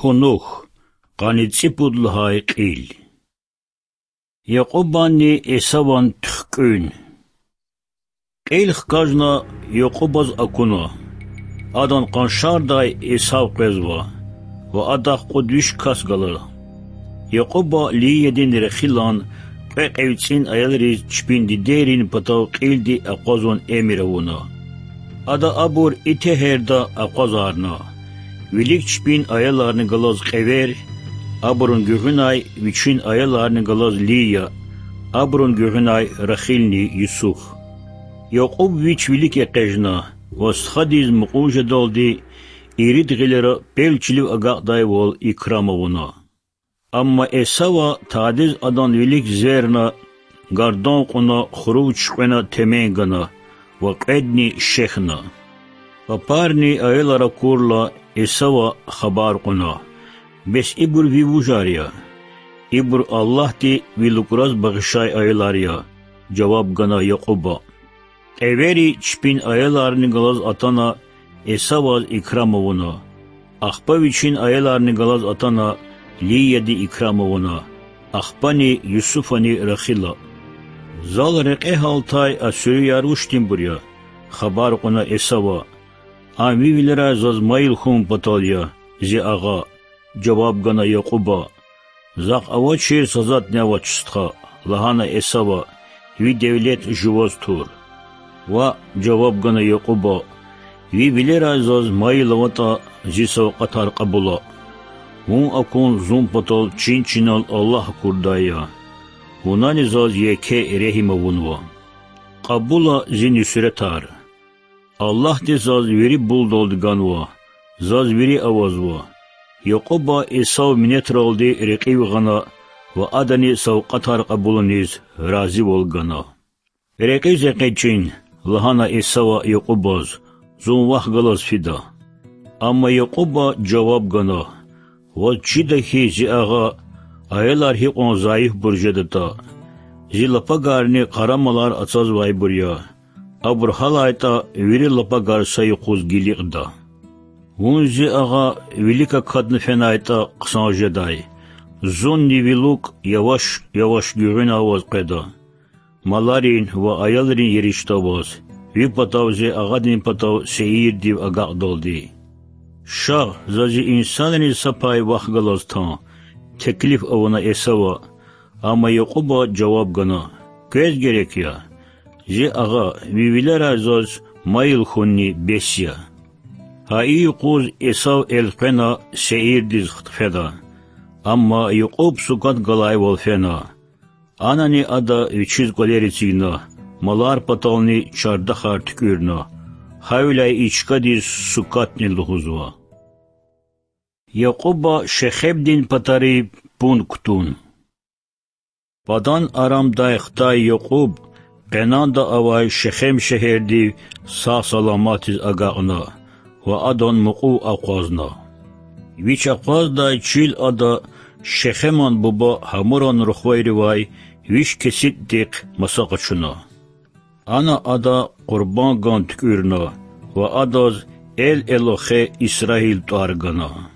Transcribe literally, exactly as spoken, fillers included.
Кунух, къанни цӀипуд лагьай кьил. Якьубанни Эсаван туьхкӀуьн. Кьил хкажна, Якьубаз акуна. Адан къаншардай Эсав къвезва, ва адахъ кьуд виш кас гала. Якьуба Лиядин Рахилан кьве кьве цӀин аялриз чпин дидейрин патав кьилди акъвазун эмир авуна. Ада абур и тегьерда акъвазарна: вилик чпин аяларни галаз кьевер, абурун гуьгъуьнай вичин аяларни галаз Лия, абурун гуьгъуьнай Рахилни Юсуф. Якьуб вич вилик экъечӀна ва стхадиз мукьув жедалди ирид гъилера пел чилив агакьдайвал икрам авуна. Амма Эсава тадиз адан вилик зверна, гардан кьуна, хурув чуькьвена темен гана ва кьведни шехьна. Папарни аялар акурла, Эсава хабар кьуна: Бес ибур ви вужар я? Ибур Аллагьди ви лукӀраз багъишай аялар я,— жаваб гана Якьуба. Кьевери чпин аяларни галаз атана, Эсаваз икрам авуна, ахпа вичин аяларни галаз атана, Лияди икрам авуна, ахпани Юсуфани Рахила. Зал рекье гьалтай а суьруьяр вучтинбур я? хабар кьуна Эсава. Ам ви вилерай заз майил хьун патал я, зи агъа,— жаваб гана Якьуба. Захъ авачир са затӀни авач, стха,— лагьана Эсава,— ви девлет жуваз тур. Ваъ,— жаваб гана Якьуба, ви вилерай заз майил аватӀа, зи савкьватар кьабула. Вун акун зун патал чин-чинал Аллагь акурдай я. Вунани заз еке регьим авунва. Кьабула зи нуьсретар. Аллагьди заз вири булдалди ганва, заз вири авазва. Якьуба Эсав минетралди рекьив гъана ва адани савкьватар кьабулуниз разивал гана. Рекьиз экъечӀин,— лагьана Эсава Якьубаз,— зун вахъ галаз фида. Амма Якьуба жаваб гана: Ваз чида хьи, зи агъа, аялар гьикьван зайифбур жедатӀа. Зи лапагарни къарамалар ацазвайбур я. Абур гьалайтӀа, вири лапагар са юкъуз гиликьда. Вун, зи агъа, вилик акатна фенайтӀа хъсан жедай. Зунни ви лукӀ яваш-яваш гуьгъуьна аваз къведа. Маларин ва аялрин еришда аваз, ви патав зи агъадин патав сейирдив агакьдалди. Шагь, за зи инсанриз са пай вахъ галаз тан,— теклиф авуна Эсава, амма Якьуба жаваб гана: Квез герек я? Зи агъа, ви вилерай заз майил хьунни бес я. Гьа и юкъуз Эсав элкъвена сейирдиз хтӀ хъфена. Амма Якьуб сукат галайвал фена. Анани ада вичиз кӀвалер эцигна, малар патални чардахар туькӀуьрна, гьавиляй и чкадиз Сукатни лугьузва. Якьуба Шехемдин патарив пун кутун. Падан-Арамдай хтай Якьуб Къенанда авай Шехем шегьердив сагъ-саламатиз агакьна ва адан мукьув акъвазна. Вич акъваздай чил ада Шехеман буба Гьамуран рухвайривай виш кесибдихъ маса къачуна. Ана ада къурбанд гун туькӀуьрна ва адаз Эл-Элохе-Исраил тӀвар гана.